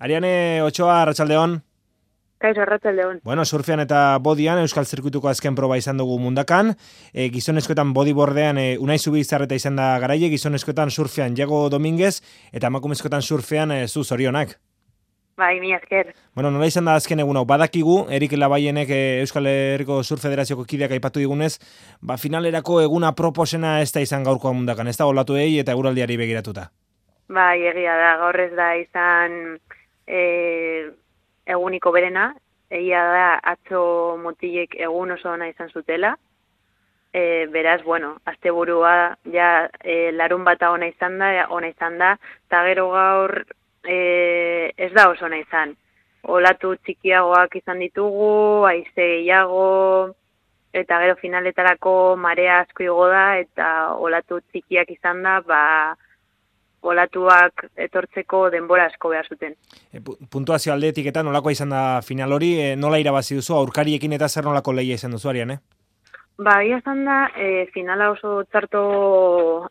Ariane Ochoa, arratsaldeon. Kaixo, arratsaldeon. Bueno, surfean eta bodian Euskal Zirkuituko azken proba izan dugu mundakan. Gizonezkoetan bodyboardean Unai Zubizarreta izan da garaile, gizonezkoetan surfean Diego Dominguez eta emakumezkoetan surfean zu zorionak. Bai, mi esker. Bueno, nola izan da azken egun hau? Badakigu, Erik Labaienek Euskal Herriko Surf Federazioko kideak aipatu digunez, finalerako eguna proposena ez da izan gaurkoa mundakan, ez da olatuei eta eguraldiari begiratuta. Bai, egia da, gaur ez da izan eguniko berena, egia da atzo mutilek egun oso ona izan zutela, beraz, bueno, asteburua ja larun bata ona izan da, eta gero gaur ez da oso ona izan. Olatu txikiagoak izan ditugu, haize gehiago, eta gero finaletarako marea asko igo da, eta olatu txikiak izan da, olatuak etortzeko denbora asko behar zuten. Puntuazio aldetik eta nolakoa izan da final hori, nola irabazi duzu, aurkariekin eta zer nolako lehia izan duzu, Ariane? Ia izan da, finala oso txarto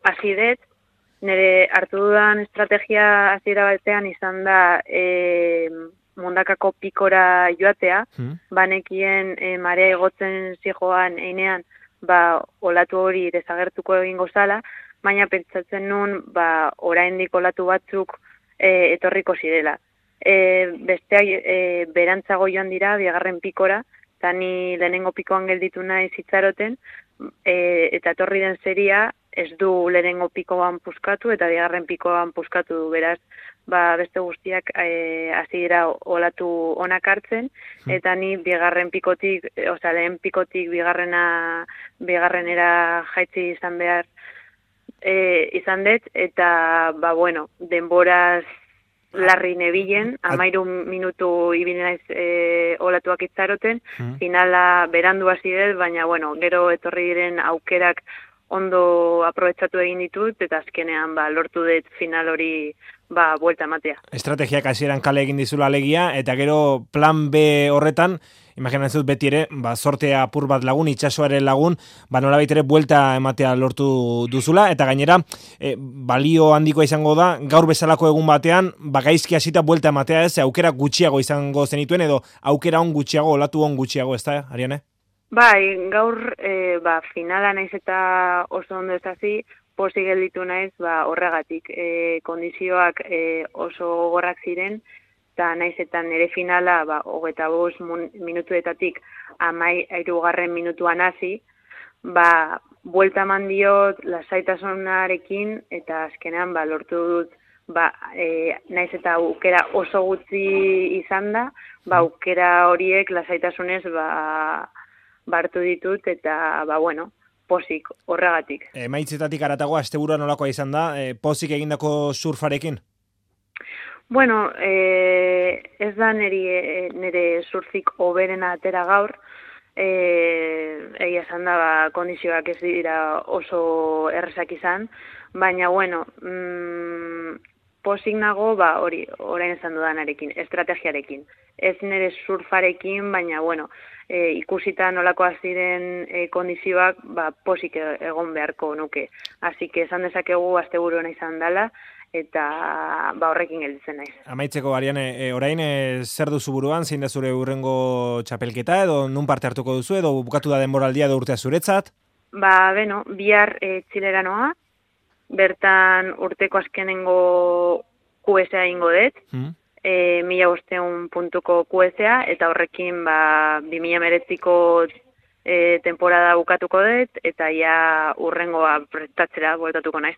hasi dut, nire hartu dudan estrategia hasiera batean izan da mundakako pikora joatea, banekien marea igotzen zijoan einean, olatu hori desagertuko egingo zala, baina pentsatzen nun, oraindik olatu batzuk etorriko zirela. Besteak berantzago joan dira, bigarren pikora, eta ni lehenengo pikoan gelditu nahi zitzaroten, eta etorri den seria ez du lehenengo pikoan puskatu, eta bigarren pikoan puskatu du, beraz, beste guztiak hasi dira olatu onak hartzen, eta ni bigarren pikotik, lehen pikotik bigarrenera jaitsi izan behar izan dut, eta, denboraz larri nebilen, 13 minutu ibili naiz olatuak itzaroten, finala berandu hasi dut, baina, gero etorri diren aukerak ondo aprobetxatu egin ditut, eta azkenean lortu dut final hori buelta ematea. Estrategiak hasieran kale egin dizula alegia, eta gero plan B horretan, imaginatzen dut beti ere, sortea apur bat lagun, itsasoaren lagun, nolabait ere buelta ematea lortu duzula, eta gainera, balio handikoa izango da, gaur bezalako egun batean, gaizki hasita buelta ematea ez, aukera gutxiago izango zenituen, edo aukera on gutxiago, olatu on gutxiago, ez da, Ariane? Bai, gaur finala naiz eta oso ondo ez hasi, pozik gelditu naiz horregatik. Kondizioak oso gogorrak ziren, eta naiz eta nire finala 25 minutuetatik 13. minutuan hasi, buelta eman diot lasaitasunarekin, eta azkenean lortu dut naiz eta aukera oso gutxi izan da, aukera horiek lasaitasunez hartu ditut, eta pozik horregatik. Emaitzetatik aratago asteburua nolakoa izan da, pozik egindako surfarekin? Ez da nire surfik hoberena atera gaur, egia esan da kondizioak ez dira oso errezak izan, baina pozik nago orain esan dudanarekin, estrategiarekin. Ez nire surfarekin, baina ikusita nolakoa ziren kondizioak, pozik egon beharko nuke. Así que esan dezakegu asteburu ona izan dela, eta horrekin gelditzen naiz. Amaitzeko, Ariane, orain zer duzu buruan, zein da zure hurrengo txapelketa, edo nun parte hartuko duzu, edo bukatu da denboraldia edo urtea zuretzat? Bihar Txilera noa, bertan urteko azkenengo QSA ingo dut, 1500 puntuko QSA, eta horrekin 2019ko temporada bukatuko dut, eta ja urrengoa prestatzera bueltatuko naiz.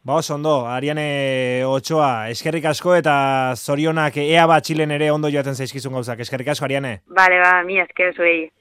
Oso ondo, Ariane Ochoa, eskerrik asko eta zorionak ea Txilen ere ondo joaten zaizkizun gauzak. Eskerrik asko, Ariane. Bale, mi esker zuei.